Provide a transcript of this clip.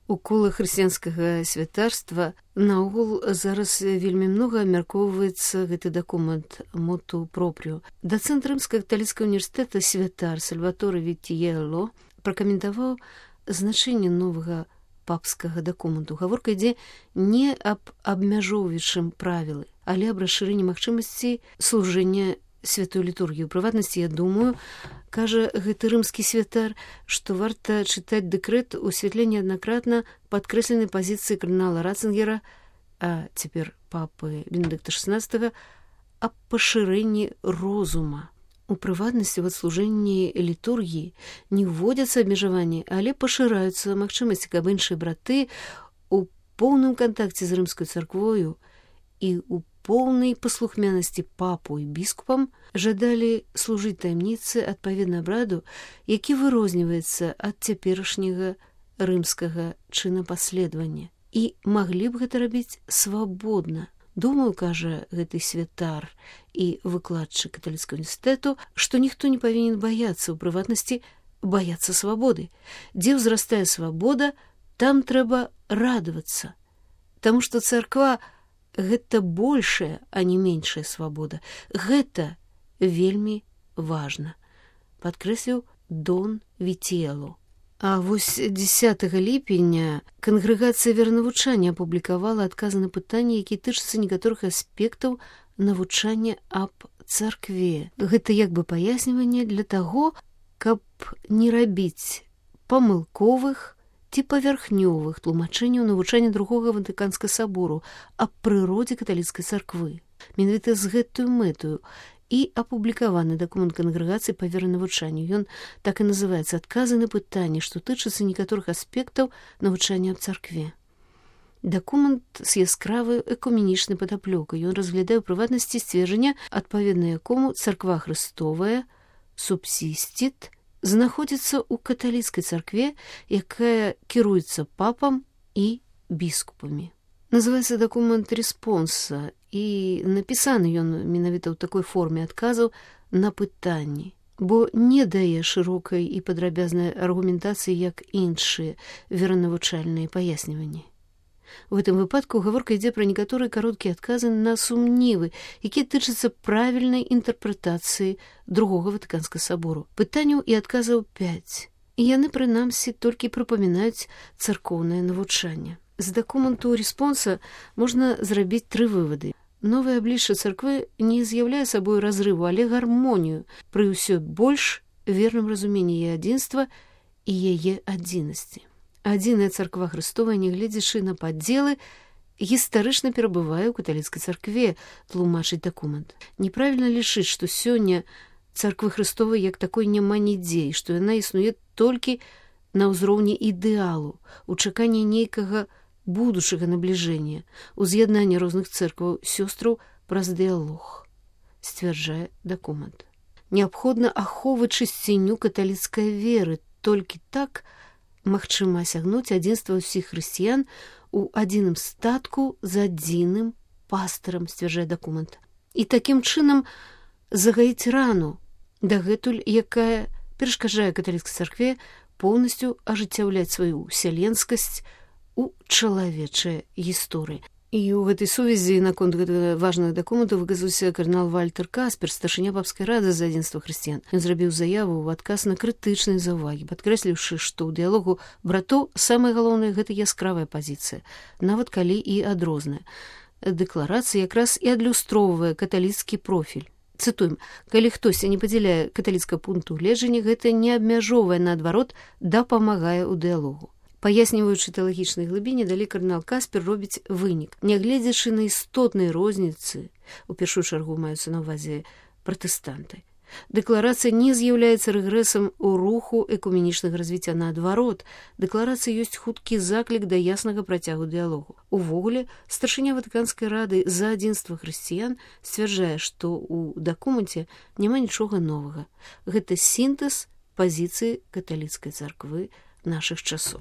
У колах хрысціянскага святарства наогул зараз вельмі многа абмяркоўваецца гэты дакумент моту пропрыо. Дацэнт Рымска-каталіцкага універсітэта святар Сальваторе Віттіелло пракаментаваў значэнне новага папскага дакументу. Гаворка ідзе не аб абмяжоўваючым правілы, але аб расшырэнні магчымасцей служэння святой літургіі. У прыватнасці, я думаю, кажа гэты рымскі святар, што варта чытаць дэкрэт у святле неаднакратна падкрэсленай пазіцыі кардынала Ратцынгера, а цяпер папы Бенедыкта XVI, аб пашырэнні розума. У прыватнасці, в служэнні літургіі не вводзяцца абмежаванні, але пашыраюцца магчымасці, каб іншыя браты у поўным кантакце з рымскай царквою і ў поўнай паслухмянасці папу і біскупам жадалі служыць таямніцы адпаведна абраду, які вырозніваецца ад цяперашняга рымскага чынапаследавання. І маглі б гэта рабіць свабодна. Думаю, кажа гэты святар і выкладчык каталіцкага універсітэту, што ніхто не павінен баяцца, у прыватнасці баяцца свабоды. Дзе ўзрастае свабода, там трэба радавацца. Таму што царква гэта большая, а не меншая свабода. Гэта вельмі важна, падкрэсліў Дон Віттіелло. А вось 10 ліпеня кангрэгацыя веранавучання апублікавала адказы на пытанні, якія тычацца некаторых аспектаў навучання аб царкве. Гэта як бы паясніванне для таго, каб не рабіць памылковых ці павярхнёвых тлумачэнняў навучання другога Ватыканскага сабору аб прыродзе каталіцкай царквы. Менавіта з гэтую мэтаю і апублікаваны дакумент кангрэгацыі па веранавучанню. Ён так і называецца «Адказы на пытанні, што тычацца некаторых аспектаў навучання аб царкве». Дакумент з яскравай экуменічнай падаплёкай. Ён разглядае ў прыватнасці сцверджання, адпаведна якому царква Хрыстовая субсістит знаходзіцца ў каталіцкай царкве, якая кіруецца папам і біскупамі. Называецца дакумент рэспонса, і напісаны ён менавіта ў такой форме адказаў на пытанні, бо не дае шырокай і падрабязнай аргументацыі, як іншыя веранавучальныя паясніванні. У гэтым выпадку гаворка ідзе пра некаторыя кароткія адказы на сумневы, якія тычацца правільнай інтэрпрэтацыі другога Ватыканскага сабору. Пытанняў і адказаў 5. І яны, прынамсі, толькі прыпамінаюць царкоўнае навучанне. З дакументу рэспонса можна зрабіць 3 вывады. Новае аблічча царквы не з'яўляе сабой разрыву, але гармонію пры ўсё больш верным разуменні яе адзінства і яе адзінасці. Адзіная царква Хрыстовая, нягледзячы на падзелы, гістарычна перабывае ў каталіцкай царкве, тлумачыць дакумент. Неправільна лічыць, што сёння царквы Хрыстовай як такой няма нідзе, і што яна існуе толькі на ўзроўні ідэалу, у чаканні нейкага будучага набліжэння, уз'яднання розных цэркваў сёстраў праз дыялог, сцвярджае дакумент. Неабходна ахоўваць чысціню каталіцкай веры, толькі так магчыма асягнуць адзінства ўсіх хрысціян у адзіным статку з адзіным пастарам, сцвярджае дакумент. І такім чынам загаіць рану, дагэтуль якая перашкаджае каталіцкай царкве поўнасцю ажыццяўляць сваю ўсяленскасць у чалавечай гісторыі. І ў гэтай сувязі наконт гэтага важнага дакументу выказаўся кардынал Вальтер Каспер, старшыня папскай рады за адзінства хрысціян. Ён зрабіў заяву ў адказ на крытычныя заўвагі, падкрэсліўшы, што ў дыялогу братоў самае галоўнае гэта яскравая пазіцыя, нават калі і адрозная. Дэкларацыя якраз і адлюстроўвае каталіцкі профіль. Цытуем: «Калі хтосьці не падзяляе каталіцкага пункту гледжання, гэта не абмяжоўвае, наадварот, дапамагае ў дыялогу». Паясніваючы тэалагічнай глыбіні, далей кардынал Каспер робіць вынік. Нягледзячы на істотныя розніцы, у першую чаргу маюцца на ўвазе пратэстанты, дэкларацыя не з'яўляецца рэгрэсам у руху экуменічнага развіцця. Наадварот, дэкларацыя ёсць хуткі заклік да яснага працягу дыялогу. Увогуле, старшыня Ватыканскай рады за адзінства хрысціян сцвярджае, што ў дакуменце няма нічога новага. Гэта сінтэз пазіцыі каталіцкай царквы нашых часоў.